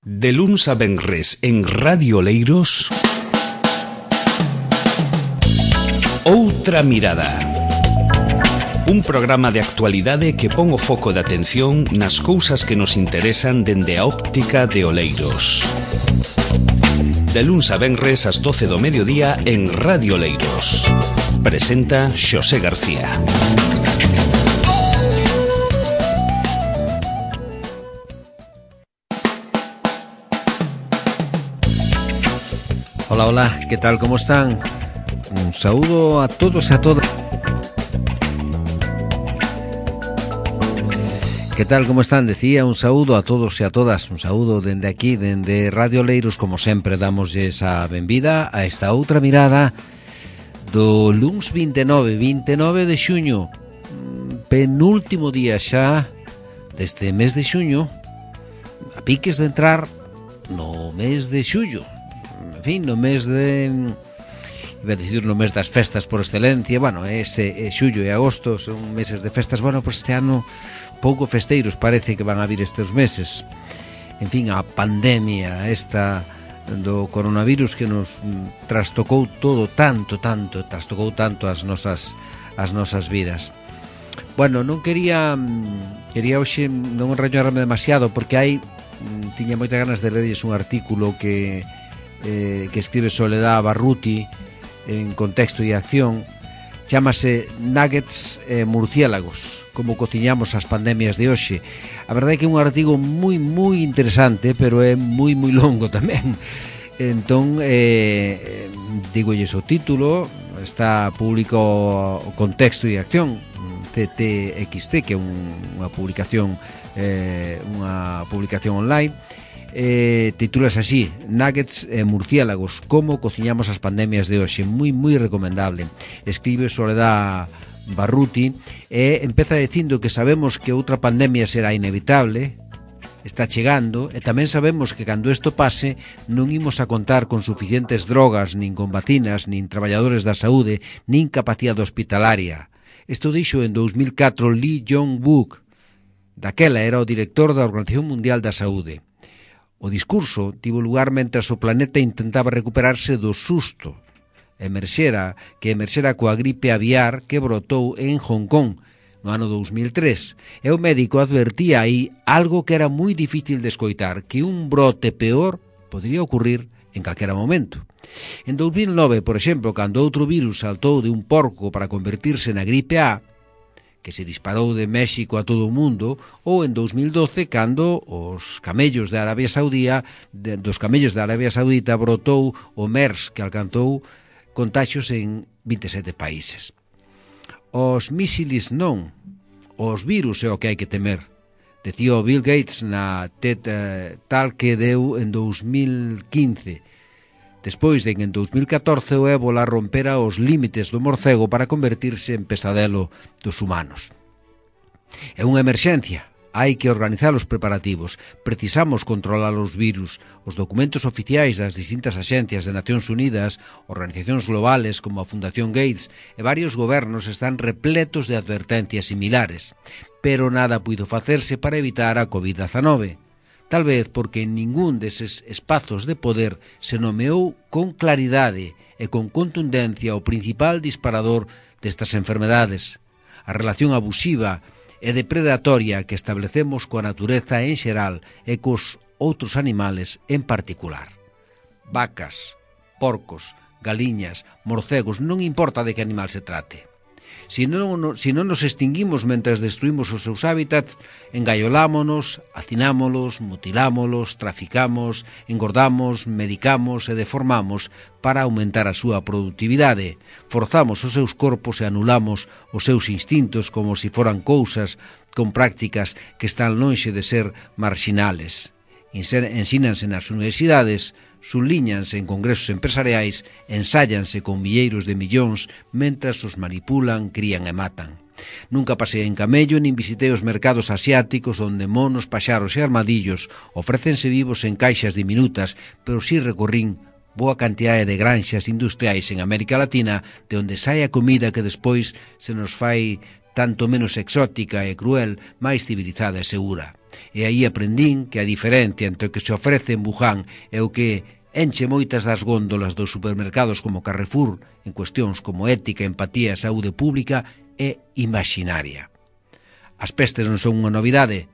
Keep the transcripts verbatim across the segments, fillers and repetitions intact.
De luns a venres en Radio Oleiros, Outra Mirada. Un programa de actualidade que pon o foco de atención nas cousas que nos interesan dende a óptica de Oleiros. De luns a venres ás doce do mediodía en Radio Oleiros. Presenta Xosé García. Hola, hola, ¿qué tal? ¿Cómo están? Un saludo a todos y a todas. ¿Qué tal? ¿Cómo están? Decía, un saúdo a todos e a todas. Un saúdo dende aquí, dende Radio Oleiros. Como sempre, damos esa benvida a esta outra mirada do luns veintinueve, veintinueve de xuño, penúltimo día xa deste mes de xuño, a piques de entrar no mes de xullo. En fin, no mes de... iba a decir no mes das festas por excelencia. Bueno, ese é xullo e agosto, son meses de festas. Bueno, pois este ano pouco festeiros parece que van a vir estes meses. En fin, a pandemia esta do coronavirus que nos trastocou todo tanto, tanto, trastocou tanto as nosas as nosas vidas. Bueno, non quería quería hoxe non enrañarme demasiado porque hai tiña moitas ganas de lerlles un artículo que eh, que escribe Soledad Barruti en Contexto e Acción. Chámase Nuggets e Murciélagos, como cociñamos as pandemias de hoxe. A verdade é que é un artigo moi, moi interesante, pero é moi, moi longo tamén. Entón, eh, digolles o título, está público o Contexto e Acción, C T X T, que é un, unha publicación eh, unha publicación online. Eh, titulas así: Nuggets e Murciélagos, como cociñamos as pandemias de hoxe. Moi, moi recomendable. Escribe Soledad Barruti e empeza dicindo que sabemos que outra pandemia será inevitable, está chegando, e tamén sabemos que cando isto pase non imos a contar con suficientes drogas, nin con vacinas, nin traballadores da saúde, nin capacidade hospitalaria. Isto dixo en dous mil catro Lee Jong-wook. Daquela era o director da Organización Mundial da Saúde. O discurso tivo lugar mentras o planeta intentaba recuperarse do susto emerxera, que emerxera coa gripe aviar que brotou en Hong Kong no ano dous mil tres. E o médico advertía aí algo que era moi difícil de escoitar, que un brote peor podría ocurrir en calquera momento. En dous mil nove, por exemplo, cando outro virus saltou de un porco para convertirse na gripe A, que se disparou de México a todo o mundo, ou en dous mil doce, cando os camellos de Arabia Saudía, de, dos camellos de Arabia Saudita brotou o MERS, que alcanzou contaxios en vinte e sete países. Os mísiles non, os virus é o que hai que temer. Decía o Bill Gates na TED eh, tal que deu en dous mil quince, despois de que en dous mil catorce o ébola rompera os límites do morcego para convertirse en pesadelo dos humanos. É unha emerxencia, hai que organizar os preparativos, precisamos controlar os virus. Os documentos oficiais das distintas axencias de Nacións Unidas, organizacións globales como a Fundación Gates e varios gobernos están repletos de advertencias similares, pero nada puido facerse para evitar a covid diecinueve. Tal vez porque en ningún deses espazos de poder se nomeou con claridade e con contundencia o principal disparador destas enfermedades, a relación abusiva e depredatoria que establecemos coa natureza en xeral e cos outros animales en particular. Vacas, porcos, galiñas, morcegos, non importa de que animal se trate. Si non, si non nos extinguimos mentras destruímos os seus hábitats, engaiolámonos, hacinámolos, mutilámolos, traficamos, engordamos, medicamos e deformamos para aumentar a súa produtividade. Forzamos os seus corpos e anulamos os seus instintos como se foran cousas con prácticas que están lonxe de ser marxinales. Ensínanse nas universidades, subliñanse en congresos empresariais, ensáyanse con milleiros de millóns mentras os manipulan, crían e matan. Nunca pasei en camello nin visitei os mercados asiáticos onde monos, paxaros e armadillos ofrécense vivos en caixas diminutas, pero si recorrín boa cantidade de granxas industriais en América Latina de onde sai a comida que despois se nos fai tanto menos exótica e cruel, máis civilizada e segura. E aí aprendín que a diferencia entre o que se ofrece en Wuhan e o que enche moitas das góndolas dos supermercados como Carrefour en cuestións como ética, empatía e saúde pública é imaginaria. As pestes non son unha novidade,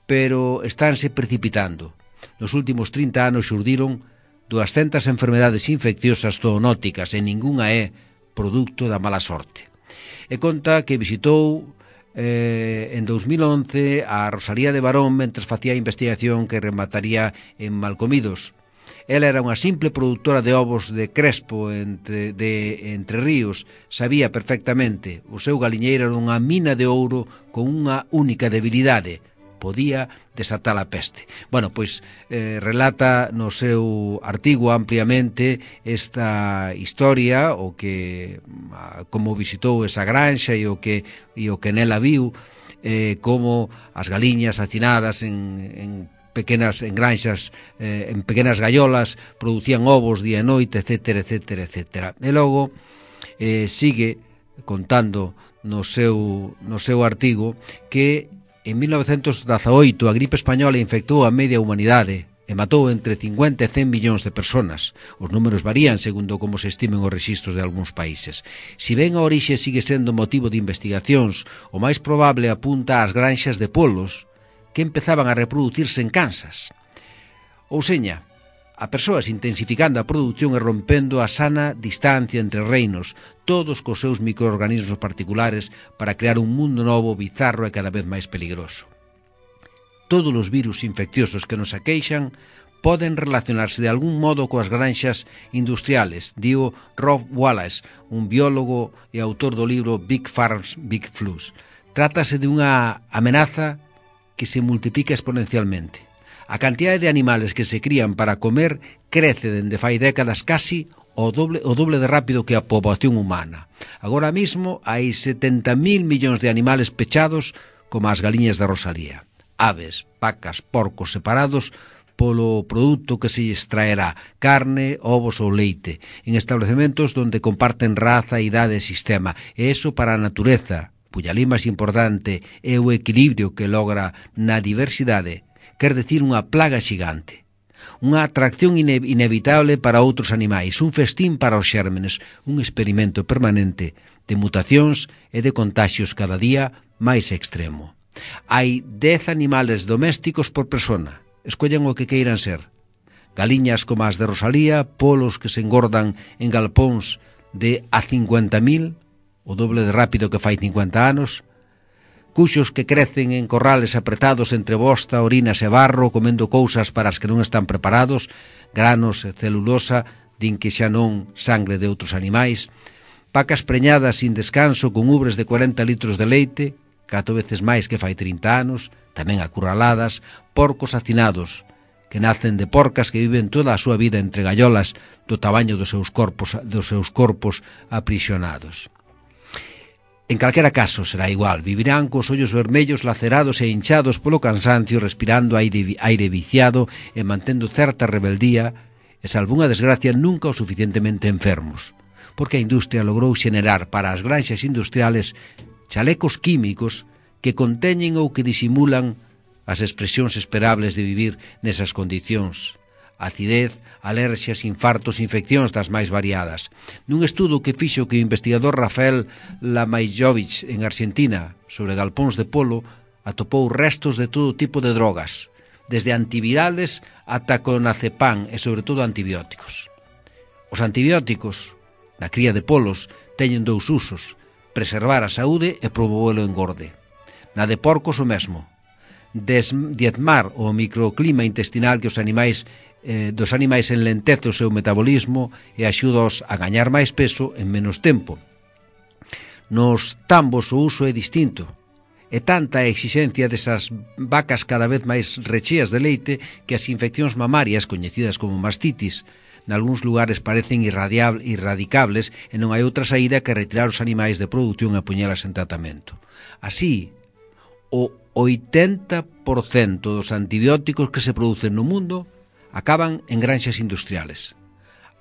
pero estánse precipitando. Nos últimos trinta anos xurdiron duascentas enfermedades infecciosas zoonóticas e ningunha é produto da mala sorte. E conta que visitou eh, en dos mil once a Rosalía de Barón mentre facía a investigación que remataría en Malcomidos. Ela era unha simple produtora de ovos de Crespo entre, de Entre Ríos. Sabía perfectamente, o seu galiñeiro era unha mina de ouro con unha única debilidade: podía desatar a peste. Bueno, pois eh, relata no seu artigo ampliamente esta historia, o que como visitou esa granxa e o que e o que nela viu, eh, como as galiñas hacinadas en, en pequenas en granxas, eh, en pequenas gaiolas, producían ovos día e noite, etcétera, etcétera, etcétera. E logo eh, sigue contando no seu no seu artigo que en mil novecentos dezaoito a gripe española infectou a media humanidade e matou entre cincuenta e cen millóns de personas. Os números varían segundo como se estimen os rexistros de algúns países. Si ben a orixe sigue sendo motivo de investigacións, o máis probable apunta ás granxas de polos que empezaban a reproducirse en Kansas. Ou seña, a persoas intensificando a produción e rompendo a sana distancia entre reinos, todos cos seus microorganismos particulares para crear un mundo novo, bizarro e cada vez máis peligroso. Todos os virus infecciosos que nos aqueixan poden relacionarse de algún modo coas granxas industriales, dio Rob Wallace, un biólogo e autor do libro Big Farms, Big Flus. Trátase de unha amenaza que se multiplica exponencialmente. A cantidade de animales que se crían para comer crece dende fai décadas casi o doble, o doble de rápido que a poboación humana. Agora mesmo hai setenta mil millóns de animales pechados como as galiñas da Rosalía. Aves, vacas, porcos separados polo produto que se extraerá, carne, ovos ou leite, en establecementos donde comparten raza, idade e sistema. E iso para a natureza, cuya lei máis importante é o equilibrio que logra na diversidade, quer decir unha plaga xigante, unha atracción ine inevitable para outros animais, un festín para os xérmenes, un experimento permanente de mutacións e de contaxios cada día máis extremo. Hai dez animales domésticos por persona, escollen o que queiran ser. Galiñas como as de Rosalía, polos que se engordan en galpóns de a cincuenta mil, o doble de rápido que fai cincuenta anos, cuxos que crecen en corrales apretados entre bosta, orinas e barro, comendo cousas para as que non están preparados, granos e celulosa, din que xa non sangre de outros animais, vacas preñadas sin descanso con ubres de cuarenta litros de leite, catro veces máis que fai trinta anos, tamén acurraladas, porcos hacinados, que nacen de porcas que viven toda a súa vida entre gallolas do tamaño dos seus corpos, dos seus corpos aprisionados. En calquera caso será igual, vivirán cos ollos vermellos lacerados e hinchados polo cansancio, respirando aire, aire viciado e mantendo certa rebeldía, e salvo unha desgracia nunca o suficientemente enfermos, porque a industria logrou xenerar para as granxas industriales chalecos químicos que conteñen ou que disimulan as expresións esperables de vivir nesas condicións. Acidez, alerxias, infartos, infeccións das máis variadas. Nun estudo que fixo que o investigador Rafael Lamajovich en Argentina sobre galpóns de polo atopou restos de todo tipo de drogas, desde antivirales ata clonazepam e sobre todo antibióticos. Os antibióticos, na cría de polos, teñen dous usos: preservar a saúde e promover o engorde. Na de porcos o mesmo: diezmar o microclima intestinal que os animais eh, dos animais enlentece o seu metabolismo e axúdaos a gañar máis peso en menos tempo. Nos tambos o uso é distinto. É tanta a exigencia desas vacas cada vez máis recheas de leite que as infeccións mamarias, coñecidas como mastitis, nalgúns lugares parecen irradicables e non hai outra saída que retirar os animais de produción e poñelas en tratamento. Así, o oitenta por cento dos antibióticos que se producen no mundo acaban en granxas industriales.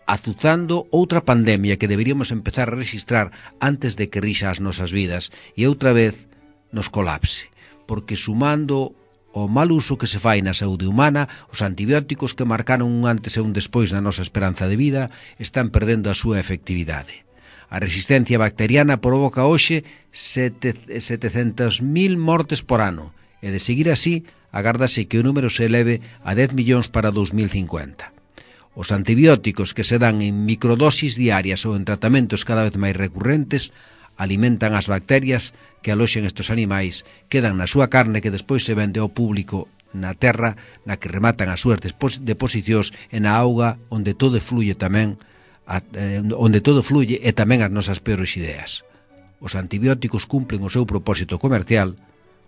azuzando outra pandemia que deberíamos empezar a registrar antes de que rixa as nosas vidas e outra vez nos colapse, porque sumando o mal uso que se fai na saúde humana, os antibióticos que marcaron un antes e un despois na nosa esperanza de vida están perdendo a súa efectividade. A resistencia bacteriana provoca hoxe setecentas mil mortes por ano e de seguir así, agárdase que o número se eleve a dez millóns para dos mil cincuenta. Os antibióticos que se dan en microdosis diarias ou en tratamentos cada vez máis recurrentes alimentan as bacterias que aloxen estes animais, quedan na súa carne que despois se vende ao público na terra na que rematan as súas deposicións e na auga onde todo fluye tamén A, eh, onde todo fluye e tamén as nosas peores ideas. Os antibióticos cumplen o seu propósito comercial,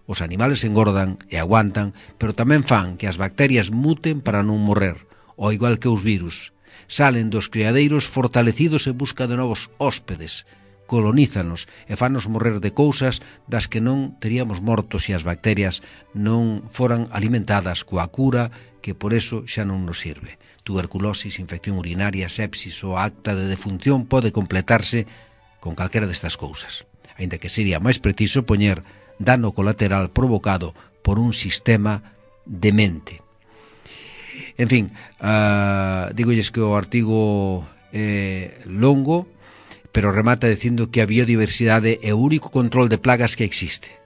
os animales engordan e aguantan, pero tamén fan que as bacterias muten para non morrer, ao igual que os virus. Salen dos criadeiros fortalecidos en busca de novos hóspedes, colonízanos e fanos morrer de cousas das que non teríamos mortos se as bacterias non foran alimentadas coa cura que por eso xa non nos sirve. Tuberculosis, infección urinaria, sepsis ou acta de defunción pode completarse con calquera destas cousas, aínda que sería máis preciso poñer dano colateral provocado por un sistema demente. En fin, uh, digolles que o artigo é longo, pero remata dicindo que a biodiversidade é o único control de plagas que existe.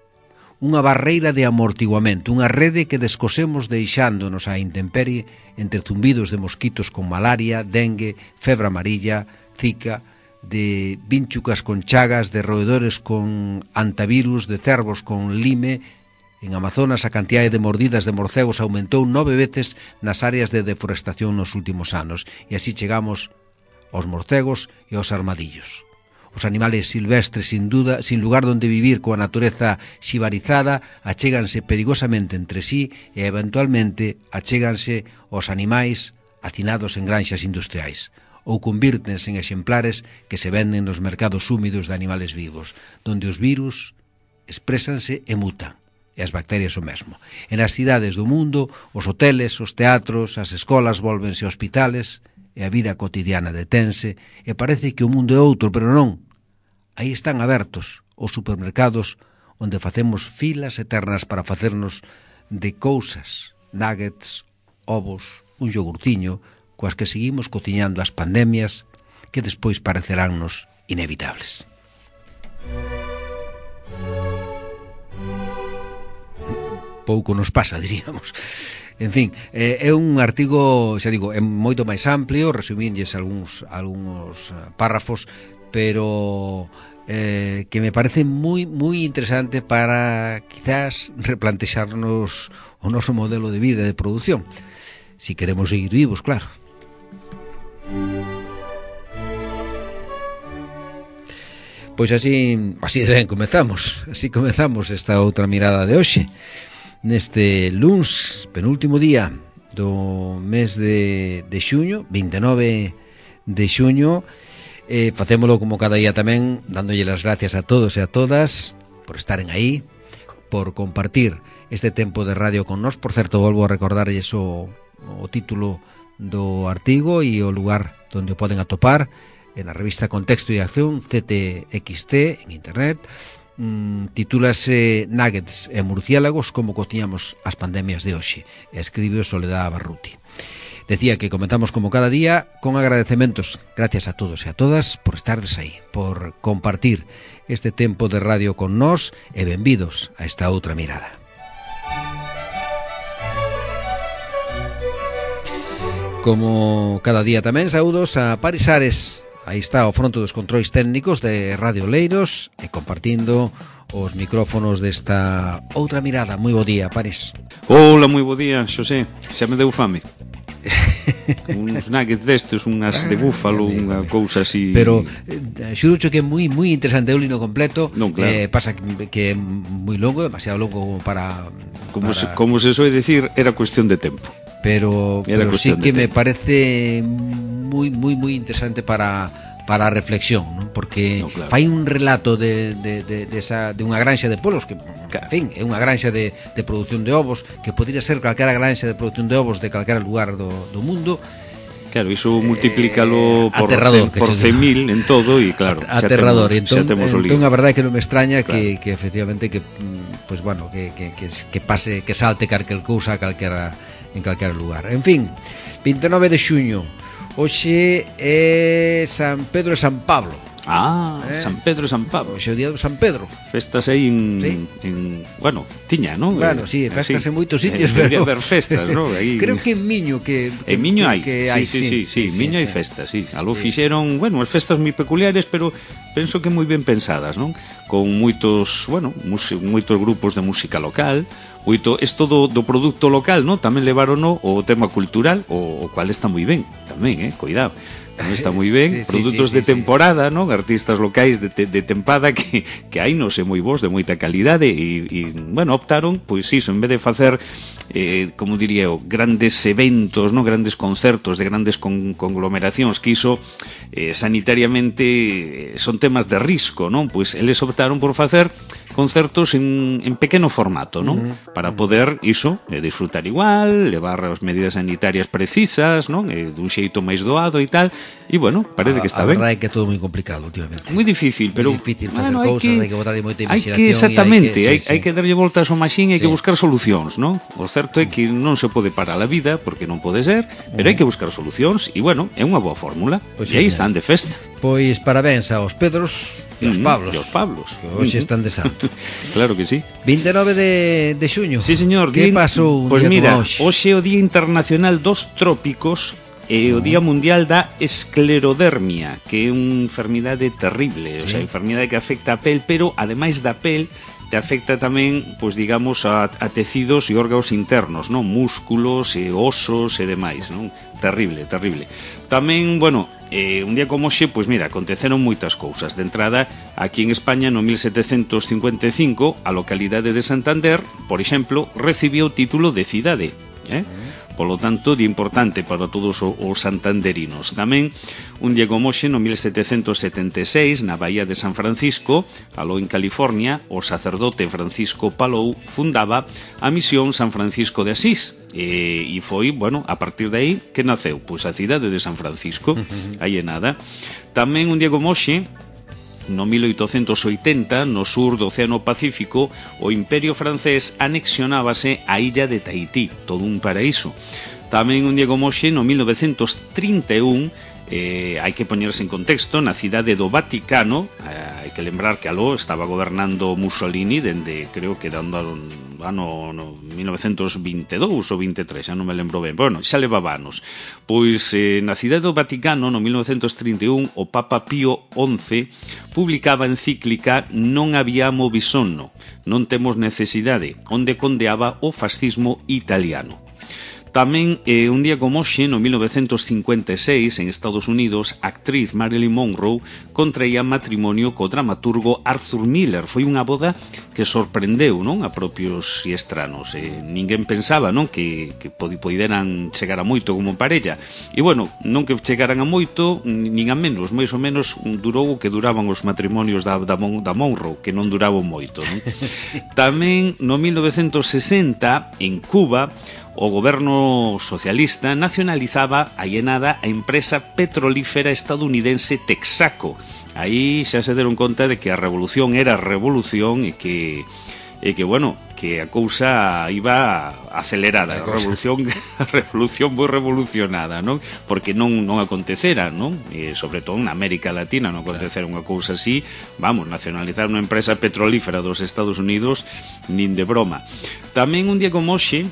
Unha barreira de amortiguamento, unha rede que descosemos deixándonos á intemperie entre zumbidos de mosquitos con malaria, dengue, febre amarilla, zika, de vínchucas con chagas, de roedores con antivirus, de cervos con lime. En Amazonas a cantidade de mordidas de morcegos aumentou nove veces nas áreas de deforestación nos últimos anos e así chegamos aos morcegos e aos armadillos. Os animales silvestres, sin duda, sin lugar donde vivir coa natureza xibarizada, achéganse perigosamente entre sí e, eventualmente, achéganse aos animais hacinados en granxas industriais ou convírtense en exemplares que se venden nos mercados húmidos de animales vivos, donde os virus exprésanse e mutan, e as bacterias o mesmo. En as cidades do mundo, os hoteles, os teatros, as escolas volvense hospitales e a vida cotidiana detense e parece que o mundo é outro, pero non. Aí están abertos os supermercados onde facemos filas eternas para facernos de cousas, nuggets, ovos, un iogurtiño, coas que seguimos cociñando as pandemias que despois pareceránnos inevitables. Pouco nos pasa, diríamos. En fin, é un artigo, xa digo, é moito máis amplio, resumínlles algúns, algúns párrafos, pero eh, que me parece moi moi interesante para quizás replantexarnos o noso modelo de vida e de produción, si queremos seguir vivos, claro. Pois así, así de ben comezamos, así comezamos esta outra mirada de hoxe. Neste luns, penúltimo día do mes de, de xuño, vinte e nove de xuño, eh, facémolo como cada día tamén, dándolle as gracias a todos e a todas por estaren aí, por compartir este tempo de radio con nós. Por certo, volvo a recordarlles o, o título do artigo e o lugar onde o poden atopar, en a revista Contexto e Acción, C T X T, en internet. Mm, titúlase Nuggets e murciélagos, como cociñamos as pandemias de hoxe, e escribe Soledad Barruti. Decía que comenzamos como cada día con agradecementos, gracias a todos e a todas por estardes aí, por compartir este tempo de radio con nós, e benvidos a esta outra mirada. Como cada día tamén, saúdos a Paris Ares. Aí está o fronte dos controis técnicos de Radio Leiros e compartindo os micrófonos desta outra mirada. Moi bo día, Paris. Hola, moi bo día, Xosé. Xa me deu fame. Uns nuggets destes, unhas de búfalo, unha cousa así. Pero eh, xurucho que é moi moi interesante o lino completo. Non, claro. Eh, pasa que, que é moi longo, demasiado longo para... Como, para... Se, como se soe decir, era cuestión de tempo. Pero, pero sí que me parece moi moi moi interesante para para a reflexión, ¿no? Porque no, claro, fai un relato de, de, de, de, esa, de unha granxa de polos que, claro, en fin, é unha granxa de, de produción de ovos que podría ser calquera granxa de produción de ovos de calquera lugar do, do mundo, Claro, iso multiplícalo eh, por, aterrador, cen, por cen mil en todo e claro, aterrador. Xa temos, entón, xa temos entón a verdade é que non me extraña claro. que, que efectivamente que pues bueno, que, que, que, que pase, que salte calquer cousa a calquera, en calquera lugar. En fin, vinte e nove de xuño, hoxe é San Pedro e San Pablo. Ah, eh? San Pedro e San Pablo. Hoxe é o día do San Pedro. Festas aí en, sí. en bueno, tiña, non? Bueno, sí, festas sí. en moitos sitios, eh, pero haber festas, non? Aí... Creo que en Miño que, que en Miño hai. Que hai, sí, sí, sí, sí, sí, Miño hai sí. festas, sí. Algo sí. fixeron, bueno, as festas moi peculiares, pero penso que moi ben pensadas, non? Con moitos, bueno, moitos grupos de música local, moito isto do, do produto local, non? Tamén levaron o tema cultural, o, o cual está moi ben, tamén, eh, cuidado. Non está moi ben, sí, produtos sí, sí, de temporada, sí. non? Artistas locais de, te, de tempada que, que hai non sei moi bons, de moita calidade e, e bueno, optaron, pois iso, en vez de facer eh, como diría eu, grandes eventos, non? Grandes concertos de grandes con, conglomeracións que iso eh, sanitariamente son temas de risco, non? Pois eles optaron por facer concertos en, en pequeno formato, non? Uh-huh. Para poder, iso, eh, disfrutar igual, levar as medidas sanitarias precisas, non? Eh, dun xeito máis doado e tal, e bueno, parece a, que está a ben. A verdade é que é todo moi complicado últimamente. Moi difícil, pero moi difícil facer bueno, cousas, hai que, hai que botar moita hai imaginación. que exactamente, hai que, hai, sí, hai sí. que darlle voltas ao maxín, hai sí. que buscar solucións, non? O certo é que non se pode parar a vida, porque non pode ser, pero hai que buscar solucións, e bueno, é unha boa fórmula, pues e aí sí, están de festa. Pois parabéns aos Pedros e aos Pablos. E aos Pablos. Que hoxe están de santo. Claro que sí. vinte e nove de, de xuño. Sí, señor. Que día, pasou un pues día mira, como hoxe? hoxe é o Día Internacional dos Trópicos e o Día Mundial da Esclerodermia, que é unha enfermidade terrible, sí. O sea, enfermidade que afecta a pel, pero ademais da pel te afecta tamén, pois digamos, a, a tecidos e órganos internos, non? Músculos e osos e demais, non? Terrible, terrible. Tamén, bueno, eh, un día como hoxe, pois mira, aconteceron moitas cousas. De entrada, aquí en España, no mil setecentos cincuenta e cinco, a localidade de Santander, por exemplo, recibiu o título de cidade, eh? Polo tanto, de importante para todos os santanderinos. Tamén, un día como hoxe, no mil setecentos setenta e seis, na Bahía de San Francisco, aló en California, o sacerdote Francisco Palou fundaba a misión San Francisco de Asís. E, e foi, bueno, a partir de aí que naceu, pois a cidade de San Francisco. Aí é nada. Tamén, un día como hoxe, no mil oitocentos oitenta, no sur do Océano Pacífico, o Imperio francés anexionábase a illa de Tahití, todo un paraíso. Tamén un día como hoxe, no mil novecentos trinta e un, eh, hai que poñerse en contexto, na cidade do Vaticano, eh, hai que lembrar que aló estaba gobernando Mussolini dende, creo que dando ano no mil novecentos vinte e dous ou vinte e tres, xa non me lembro ben, bueno, xa levaba anos. Pois eh, na cidade do Vaticano, no mil novecentos trinta e un, o Papa Pío once publicaba a encíclica Non abbiamo bisogno, non temos necesidade, onde condeaba o fascismo italiano. Tamén, eh, un día como hoxe, no mil novecentos cincuenta e seis, en Estados Unidos, a actriz Marilyn Monroe contraía matrimonio co dramaturgo Arthur Miller. Foi unha boda que sorprendeu, non, a propios e estranos. Eh, ninguén pensaba, non, que, que poderan chegar a moito como parella. E, bueno, non que chegaran a moito, nin a menos. Mais ou menos durou o que duraban os matrimonios da, da, da Monroe, que non duraban moito, non? Tamén, no mil novecentos sesenta, en Cuba, o goberno socialista nacionalizaba aí e nada a empresa petrolífera estadounidense Texaco. Aí xa se deron conta de que a revolución era revolución e que e que bueno, que a cousa iba acelerada, a revolución, a revolución moi revolucionada, non? Porque non non acontecera, non? E sobre todo na América Latina non acontecera unha cousa así, vamos, nacionalizar unha empresa petrolífera dos Estados Unidos nin de broma. Tamén un día como hoxe,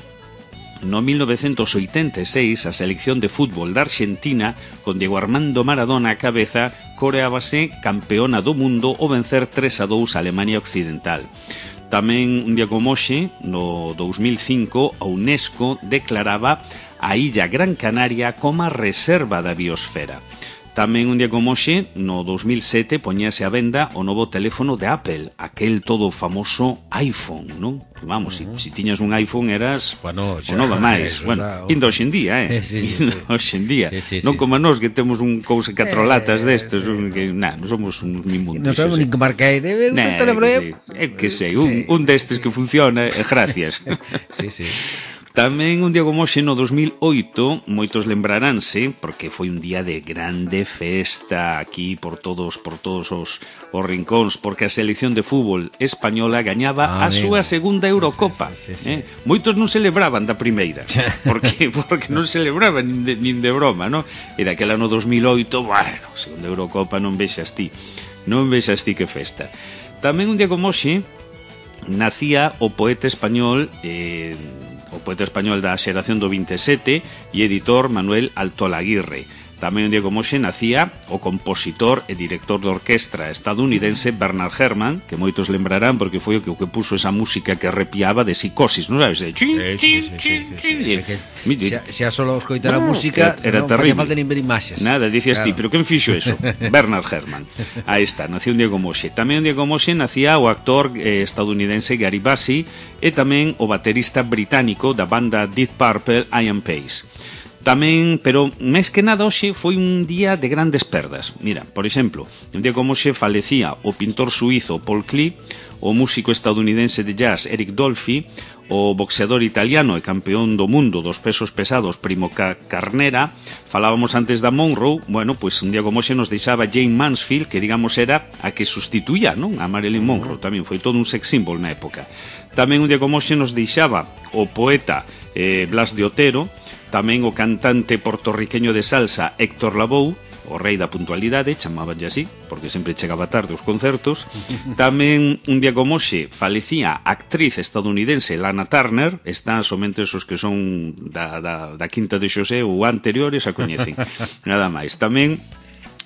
no mil novecentos oitenta e seis, a selección de fútbol da Argentina, con Diego Armando Maradona a cabeza, coreábase campeona do mundo ao vencer tres a dous a Alemania Occidental. Tamén, un día como hoxe, no dous mil cinco, a UNESCO declaraba a illa Gran Canaria como a reserva da biosfera. Tamén un día como hoxe, no dous mil sete, poñase a venda o novo teléfono de Apple, aquel todo famoso iPhone, non? Vamos, uh -huh. si, si tiñas un iPhone eras bueno, xa, o nova máis. Bueno, era... indo hoxe en día, eh? Sí, sí, sí. Hoxe en día. Sí, sí, non sí, como sí. nós que temos un cousa catro latas eh, destes, sí. un, que, nah, non somos uns mimundos. Non sabemos nin que marca aí. Debe nah, teléfono. É que sei, un, un destes que funciona, e gracias. Sí, sí. Tamén un día como hoxe no dos mil oito, moitos lembraránse, porque foi un día de grande festa aquí por todos por todos os, os rincóns, porque a selección de fútbol española gañaba ah, a súa segunda Eurocopa. Sí, sí, sí, sí. Eh? Moitos non celebraban da primeira, porque porque non celebraban nin de, nin de broma, ¿no? E daquela no dos mil oito, bueno, segunda Eurocopa non vexas ti, non vexas ti que festa. Tamén un día como hoxe nacía o poeta español eh, o poeta español da xeración do vinte e sete e editor Manuel Altolaguirre. Tamén un día como hoxe nacía o compositor e director de orquestra estadounidense Bernard Herrmann, que moitos lembrarán porque foi o que, o que puso esa música que arrepiaba de Psicosis, non sabes? Chin, chin, chin, chin. Xa solo escoitar a música era non terrible. Falla falta nin ver imaxes. Nada, dicías claro. Ti, pero quen fixo eso? Bernard Herrmann. Aí está, nacía un día como hoxe. Tamén un día como hoxe nacía o actor eh, estadounidense Gary Busey e tamén o baterista británico da banda Deep Purple Ian Pace. Tamén, pero máis que nada hoxe foi un día de grandes perdas. Mira, por exemplo, un día como hoxe falecía o pintor suizo Paul Klee, o músico estadounidense de jazz Eric Dolphy, o boxeador italiano e campeón do mundo dos pesos pesados Primo Carnera. Falábamos antes da Monroe. Bueno, pois pues un día como hoxe nos deixaba Jane Mansfield, que digamos era a que sustituía, non? A Marilyn Monroe. Tamén foi todo un sex symbol na época. Tamén un día como hoxe nos deixaba o poeta eh, Blas de Otero, tamén o cantante portorriqueño de salsa Héctor Lavoe, o rei da puntualidade, chamabanlle así, porque sempre chegaba tarde aos concertos. Tamén un día como hoxe falecía a actriz estadounidense Lana Turner. Está somente esos que son da, da, da Quinta de Xosé ou anteriores a coñecen. Nada máis. Tamén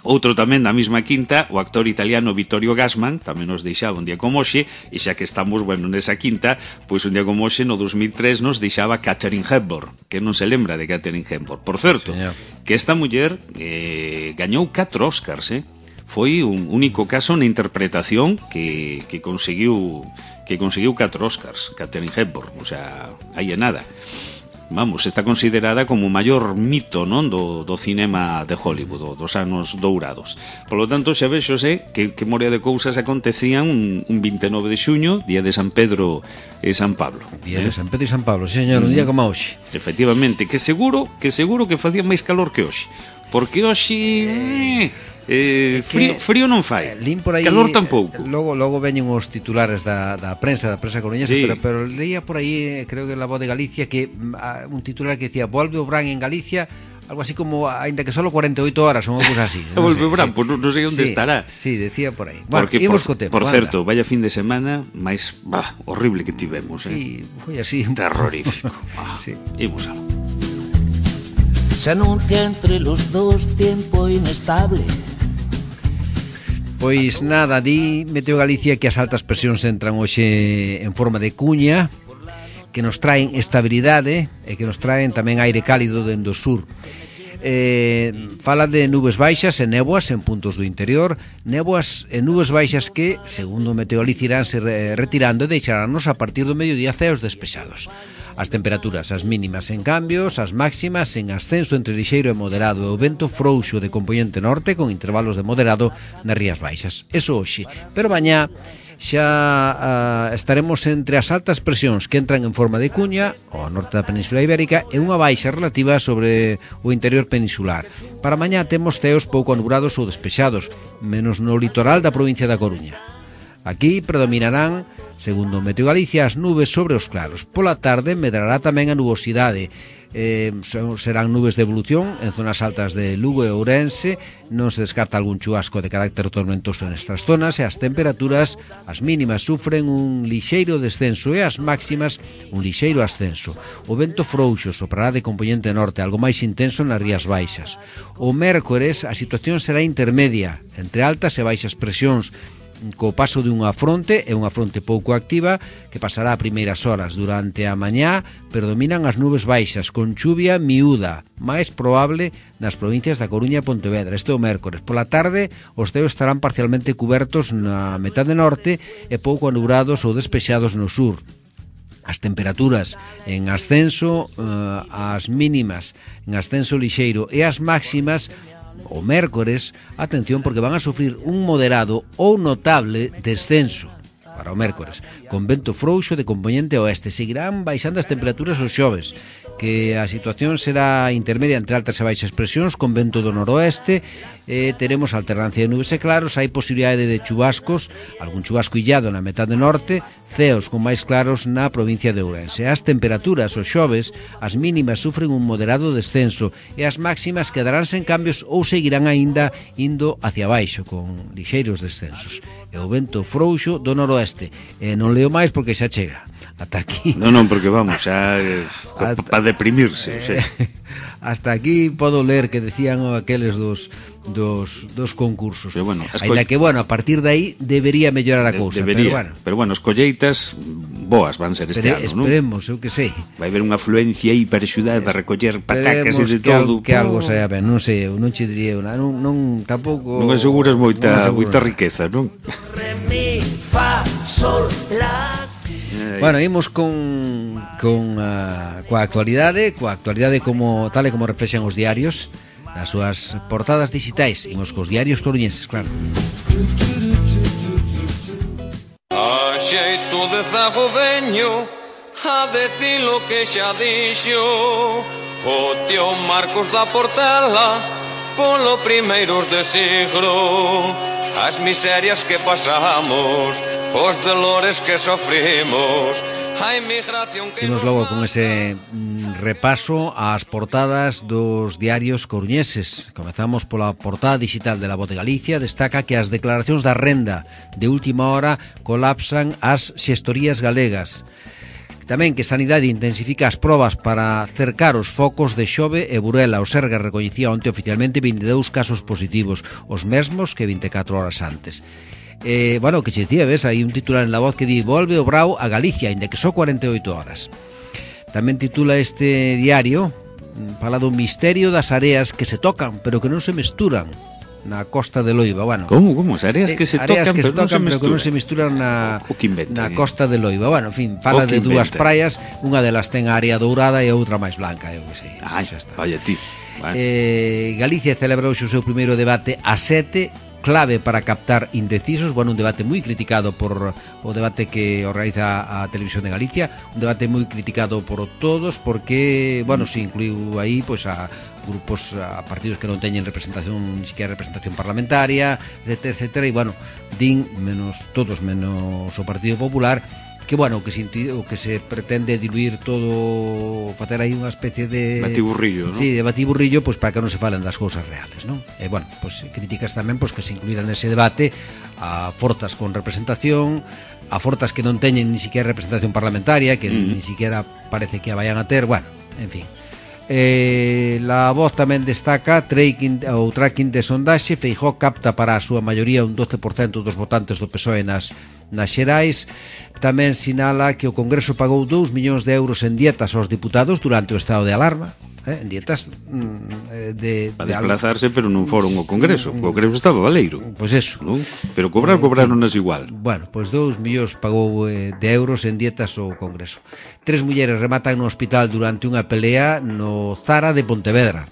outro tamén da mesma quinta, o actor italiano Vittorio Gassman, tamén nos deixaba un día como hoxe, e xa que estamos, bueno, nesa quinta, pois un día como hoxe, no dos mil tres, nos deixaba Katharine Hepburn, que non se lembra de Katharine Hepburn. Por certo, señor, que esta muller eh, gañou catro Óscars, eh? Foi un único caso na interpretación que, que conseguiu que conseguiu catro Óscars, Katharine Hepburn, o sea, aí é nada. Vamos, está considerada como o maior mito, non, do, do cinema de Hollywood, do, dos anos dourados. Por lo tanto, xa vexose que, que morea de cousas acontecían un, un vinte e nove de xuño, día de San Pedro e San Pablo. Día eh? de San Pedro e San Pablo, señor, un día como hoxe. Efectivamente, que seguro que seguro que facía máis calor que hoxe. Porque hoxe... Eh... Eh, frío, frío non fai, eh, por aí, calor tampouco. Logo logo veñen os titulares da, da prensa, da prensa coruñesa, sí. pero, pero leía por aí, creo que en La Voz de Galicia, que uh, un titular que decía: volve o Bran en Galicia, algo así como, ainda que solo cuarenta e oito horas, ou algo así. No volve o Bran, sí. Pues non, non sei onde sí, estará. Sí, decía por aí. Bueno, porque, por, tempo, por certo, vaya fin de semana máis bah, horrible que tivemos, eh? Sí, foi así. Terrorífico. Ah, sí. Imos algo. Se anuncia entre los dos tiempo inestable. Pois nada, di Meteo Galicia que as altas presións entran hoxe en forma de cuña, que nos traen estabilidade e que nos traen tamén aire cálido dende o sur. Eh, fala de nubes baixas e néboas en puntos do interior, néboas e nubes baixas que, segundo o Meteo Galicia, iránse retirando e deixaránnos a partir do mediodía ceos despexados. As temperaturas, as mínimas en cambios, as máximas en ascenso entre lixeiro e moderado, o vento frouxo de componente norte con intervalos de moderado nas rías baixas. Eso hoxe, pero mañá xa uh, estaremos entre as altas presións que entran en forma de cuña ao norte da Península Ibérica e unha baixa relativa sobre o interior peninsular. Para mañá temos ceos pouco anubrados ou despexados, menos no litoral da provincia da Coruña. Aquí predominarán, segundo Meteo Galicia, as nubes sobre os claros. Pola tarde medrará tamén a nubosidade. Eh, serán nubes de evolución en zonas altas de Lugo e Ourense. Non se descarta algún chubasco de carácter tormentoso nestas zonas e as temperaturas, as mínimas, sufren un lixeiro descenso e as máximas un lixeiro ascenso. O vento frouxo soprará de componente norte, algo máis intenso nas rías baixas. O mércores a situación será intermedia, entre altas e baixas presións, co paso dunha fronte, é unha fronte pouco activa que pasará a primeiras horas. Durante a mañá predominan as nubes baixas con chuvia miúda, máis probable nas provincias da Coruña e Pontevedra. Este é o mércores. Pola tarde os ceos estarán parcialmente cubertos na metade norte e pouco anubrados ou despexados no sur. As temperaturas en ascenso, eh, as mínimas en ascenso lixeiro e as máximas o mércores, atención, porque van a sufrir un moderado ou notable descenso. para o mércores, con vento frouxo de componente oeste. Seguirán baixando as temperaturas os xoves, que a situación será intermedia entre altas e baixas presións, con vento do noroeste. Eh, teremos alternancia de nubes e claros, hai posibilidade de chubascos, algún chubasco illado na metade norte, ceos con máis claros na provincia de Ourense. As temperaturas os xoves, as mínimas sufren un moderado descenso e as máximas quedarán sen cambios ou seguirán aínda indo hacia baixo, con lixeiros descensos. E o vento frouxo do noroeste. E non leo máis porque xa chega. Ata aquí. Non, non, porque vamos, xa eh, para deprimirse, eh, o sea. Hasta aquí podo ler que decían aqueles dos dos dos concursos. Pero bueno, ainda que bueno, a partir de aí debería mellorar a cousa, debería, pero bueno. Pero bueno, as colleitas boas van ser este Espere, ano, non? Esperemos, eu que sei. Vai haber unha afluencia aí para axudar a recoller patacas e de que todo. Al, que algo saia ben, non sei, eu non che diría unha, non, non tampouco. Non aseguras moita non moita riqueza, non? Re, mi, fa, sol, la. Bueno, imos con con uh, coa actualidade, coa actualidade como tal e como reflexan os diarios nas súas portadas digitais. Imos cos diarios coruñeses, claro. A xeito de zago veño a decir lo que xa dixo o tío Marcos da Portela polo primeiros de siglo, as miserias que pasamos, os dolores que sofrimos, a inmigración que Imos logo con ese mm, repaso ás portadas dos diarios coruñeses. Comezamos pola portada digital de La Voz de Galicia. Destaca que as declaracións da renda de última hora colapsan as xestorías galegas. Tamén que Sanidade intensifica as probas para cercar os focos de Xove e Burela. O Sergas recoñecía onte oficialmente vinte e dous casos positivos, os mesmos que vinte e catro horas antes. Eh, bueno, que che dicía, ves, hai un titular en La Voz que di volve o Brao a Galicia, ainda que só cuarenta e oito horas. Tamén titula este diario, fala do misterio das areas que se tocan, pero que non se mesturan na costa de Loiba. Bueno, como, como? As areas que se areas tocan, que se pero, tocan non se pero que non se mesturan na, o que inventan, na eh? costa de Loiba. Bueno, en fin, fala O que de dúas inventan. praias, unha delas ten a area dourada e a outra máis blanca, eu que sei. Ai, Xa está. vaya ti. Bueno. Eh, Galicia celebra hoxe o seu primeiro debate a sete, clave para captar indecisos. Bueno, un debate moi criticado por o debate que organiza a Televisión de Galicia, un debate moi criticado por todos porque, bueno, se incluiu aí pois a grupos, a partidos que non teñen representación, ni siquiera representación parlamentaria, etcétera, etcétera, e bueno, din menos todos menos o Partido Popular, que bueno, que se, o que se pretende diluir todo, facer aí unha especie de batiburrillo, ¿no? Sí, de batiburrillo, pois pues, para que non se falen das cousas reales, ¿no? E bueno, pois pues, críticas tamén pois pues, que se incluíran nese debate a forzas con representación, a forzas que non teñen ni siquiera representación parlamentaria, que mm. ni siquiera parece que a vayan a ter, bueno, en fin. Eh, La Voz tamén destaca tracking, o tracking de sondaxe. Feijóo capta para a súa maioría un doce por cento dos votantes do P S O E nas, nas xerais. Tamén sinala que o Congreso pagou dous millóns de euros en dietas aos diputados durante o estado de alarma, eh, en dietas mm, de, para de desplazarse, pero non foron ao Congreso. O Congreso estaba valeiro. Pois pues eso, ¿no? Pero cobrar, cobraronas igual. Bueno, pois pues dous millóns pagou eh, de euros en dietas ao Congreso. Tres mulleres rematan no hospital durante unha pelea no Zara de Pontevedra.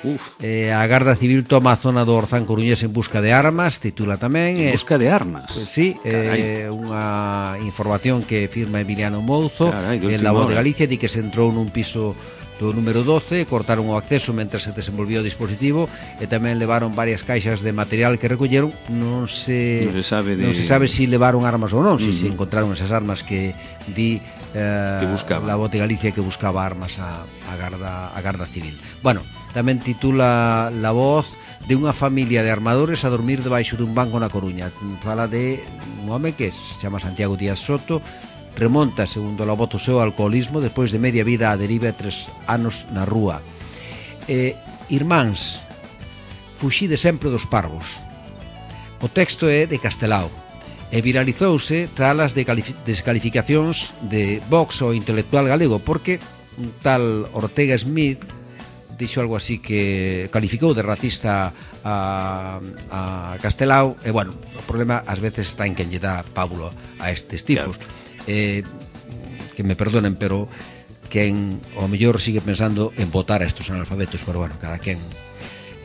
Uf. Eh, a Garda Civil toma a zona do Orzán coruñés en busca de armas, titula tamén. En busca de armas? Pues, sí, eh, unha información que firma Emiliano Mouzo. Carai, en La Voz de Galicia, di que se entrou nun piso do número doce, cortaron o acceso mentre se desenvolvía o dispositivo e tamén levaron varias caixas de material que recolleron. Non se, non se sabe de... non se sabe si levaron armas ou non, uh-huh. si se encontraron esas armas que di eh, que buscaba. La Voz de Galicia, que buscaba armas a, a, Garda, a Garda Civil. Bueno, tamén titula La Voz de unha familia de armadores a dormir debaixo dun banco na Coruña. Fala de un home que se chama Santiago Díaz Soto. Remonta, segundo La Voz, o seu alcoholismo despois de media vida a deriva e tres anos na rúa. Eh, irmáns, fuxide sempre dos parvos. O texto é de Castelao e viralizouse tras as descalificacións de Vox ao intelectual galego, porque un tal Ortega Smith dixo algo así que calificou de racista a, a Castelao. E bueno, o problema ás veces está en quen lle dá pábulo a estes tipos. Claro. Eh, que me perdonen, pero quen ao mellor sigue pensando en votar a estos analfabetos, pero bueno, cada quen.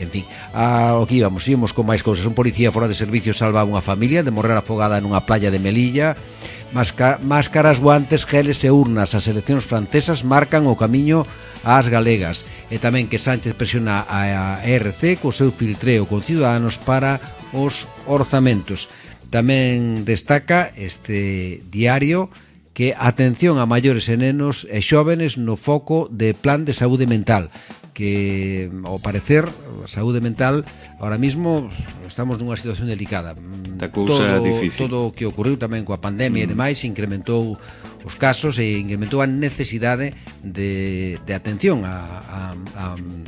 En fin, a, aquí vamos, íbamos con máis cousas. Un policía fora de servicio salva a unha familia de morrer afogada nunha playa de Melilla. Masca, máscaras, guantes, geles e urnas. As eleccións francesas marcan o camiño ás galegas. E tamén que Sánchez presiona a E R C co seu filtreo con Ciudadanos para os orzamentos. Tamén destaca este diario que atención a maiores e nenos e xóvenes no foco de plan de saúde mental, que ao parecer a saúde mental ahora mismo estamos nunha situación delicada. Da cousa todo, difícil. Todo o que ocorreu tamén coa pandemia mm. e demais incrementou os casos e incrementou a necesidade de, de atención a, a, a,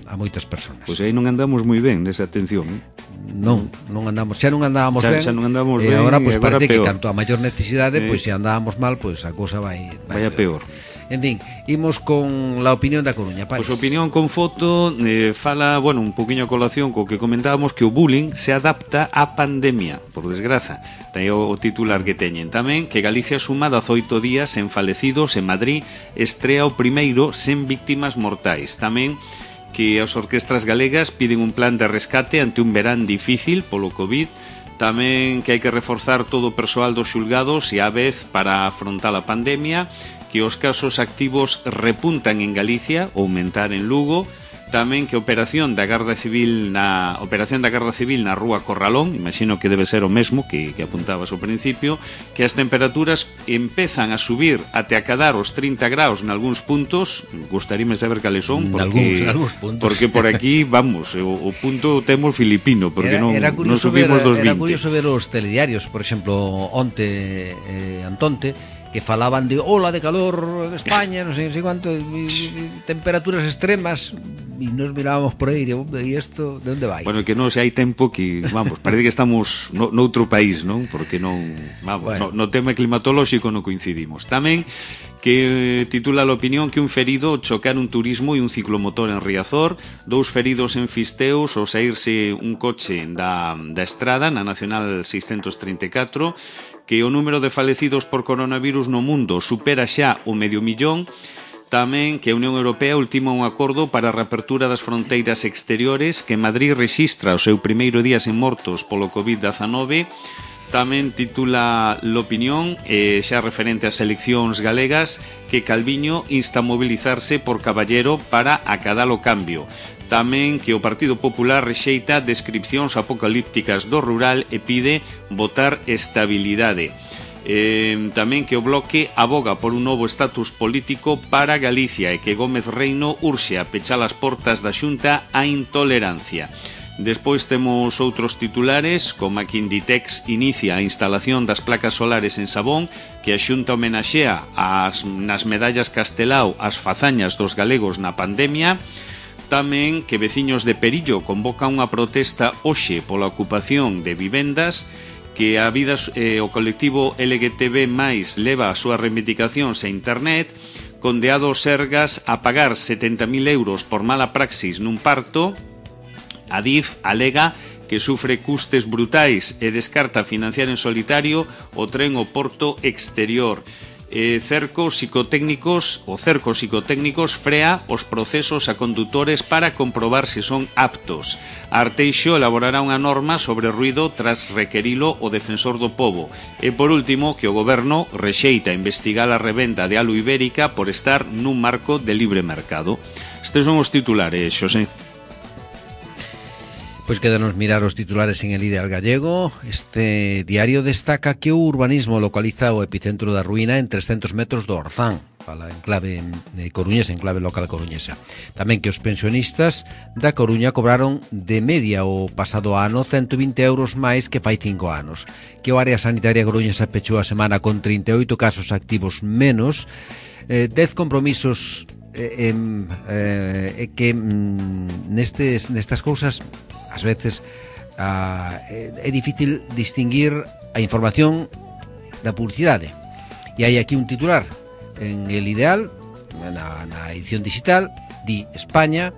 a moitas persoas. Pois aí non andamos moi ben nesa atención, eh? Non, non andamos, xa non andábamos xa, ben. Xa non andamos e ben. agora pois agora parece peor. que canto a maior necesidade, eh. pois se andábamos mal, pois a cousa vai vai Vaya peor. En fin, imos con la opinión da Coruña, Paris. Pois opinión con foto eh, fala, bueno, un poquinho a colación co que comentábamos, que o bullying se adapta á pandemia, por desgraza. Ten o, o titular que teñen tamén, que Galicia suma dezoito días en falecidos. En Madrid estrea o primeiro sen víctimas mortais. Tamén que as orquestras galegas piden un plan de rescate ante un verán difícil polo COVID. Tamén que hai que reforzar todo o persoal dos xulgados e á vez para afrontar a pandemia, que os casos activos repuntan en Galicia, aumentar en Lugo. Tamén que a operación da Garda Civil na operación da Garda Civil na Rúa Corralón, imagino que debe ser o mesmo que, que apuntabas ao principio, que as temperaturas empezan a subir até acadar os trinta graus en algúns puntos. Gustaríame saber cales son, porque, algúns, algúns puntos. Porque por aquí, vamos, o, o punto temos filipino, porque era, non, era non subimos ver, dos era vinte. curioso ver os telediarios, por exemplo, onte eh, Antonte, que falaban de ola de calor de España, non sei, non sei quanto, y, y, temperaturas extremas, e nos mirábamos por aí, e isto, de onde vai? Bueno, que non, se hai tempo que, vamos, parece que estamos no, noutro país, non? Porque non, vamos, bueno. no, no tema climatolóxico non coincidimos. Tamén que titula a opinión que un ferido chocar un turismo e un ciclomotor en Riazor, dous feridos en Fisteus ao saírse un coche da, da estrada na Nacional seiscentos trinta e catro, que o número de falecidos por coronavirus no mundo supera xa o medio millón. Tamén que a Unión Europea ultima un acordo para a reapertura das fronteiras exteriores, que Madrid rexistra o seu primeiro día sen mortos polo covid dezenove. Tamén titula l'opinión, eh, xa referente ás eleccións galegas, que Calviño insta a mobilizarse por Caballero para acadar o cambio. Tamén que o Partido Popular rexeita descripcións apocalípticas do rural e pide votar estabilidade. Eh, tamén que o Bloque aboga por un novo estatus político para Galicia e que Gómez Reino urxe a pechar as portas da Xunta á intolerancia. Despois temos outros titulares, como a que Inditex inicia a instalación das placas solares en Sabón, que a Xunta homenaxea as, nas medallas Castelao as fazañas dos galegos na pandemia. Tamén que veciños de Perillo convocan unha protesta hoxe pola ocupación de vivendas, que a vida eh, o colectivo L G T B máis leva as súas reivindicacións a internet, condeado Sergas a pagar setenta mil euros por mala praxis nun parto. A D I F alega que sufre custes brutais e descarta financiar en solitario o tren ao Porto Exterior. Eh, cercos psicotécnicos o cercos psicotécnicos frea os procesos a condutores para comprobar se son aptos. Arteixo elaborará unha norma sobre ruido tras requerilo o defensor do pobo. E por último, que o goberno rexeita investigar a revenda de alu ibérica por estar nun marco de libre mercado. Estes son os titulares, Xosé. Pois quedanos mirar os titulares en el Ideal Gallego. Este diario destaca que o urbanismo localiza o epicentro da ruína en trescentos metros do Orzán, fala en clave eh, coruñesa, en clave local coruñesa. Tamén que os pensionistas da Coruña cobraron de media o pasado ano ciento vinte euros máis que fai cinco anos. Que o área sanitaria coruñesa pechou a semana con trinta e oito casos activos menos, eh, dez compromisos eh, eh, que mm, nestes, nestas cousas ás veces ah, é difícil distinguir a información da publicidade. E hai aquí un titular en El Ideal, na, na edición digital, di España,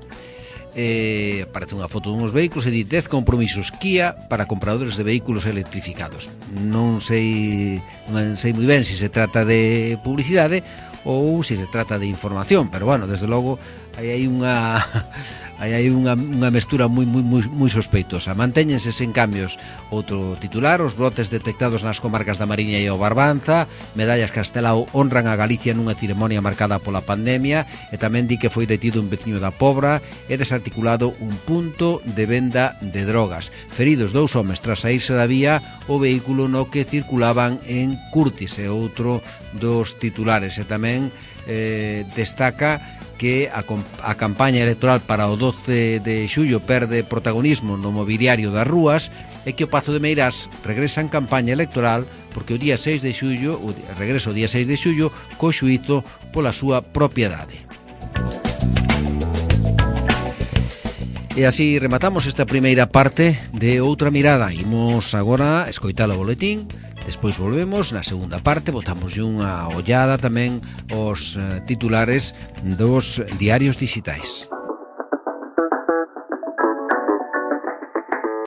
eh, aparece unha foto dunhos vehículos e di dez compromisos Kia para compradores de vehículos electrificados. Non sei, non sei moi ben se se trata de publicidade ou se se trata de información, pero bueno, desde logo hai aí unha aí hai unha, unha mestura moi, moi, moi, moi sospeitosa. Mantéñense sen cambios outro titular: os brotes detectados nas comarcas da Mariña e o Barbanza. Medallas Castelao honran a Galicia nunha ceremonia marcada pola pandemia. E tamén di que foi detido un veciño da Pobra e desarticulado un punto de venda de drogas. Feridos dous homes tras saírse da vía o vehículo no que circulaban en Curtis, e outro dos titulares. E tamén eh, destaca que a, a campaña electoral para o doce de xullo perde protagonismo no mobiliario das rúas, e que o Pazo de Meirás regresa en campaña electoral porque o día seis de xullo, o regreso o día seis de xullo co xuízo pola súa propiedade. E así rematamos esta primeira parte de Outra Mirada. Imos agora escoitar o boletín, despois volvemos na segunda parte, botamos unha ollada tamén aos titulares dos diarios digitais.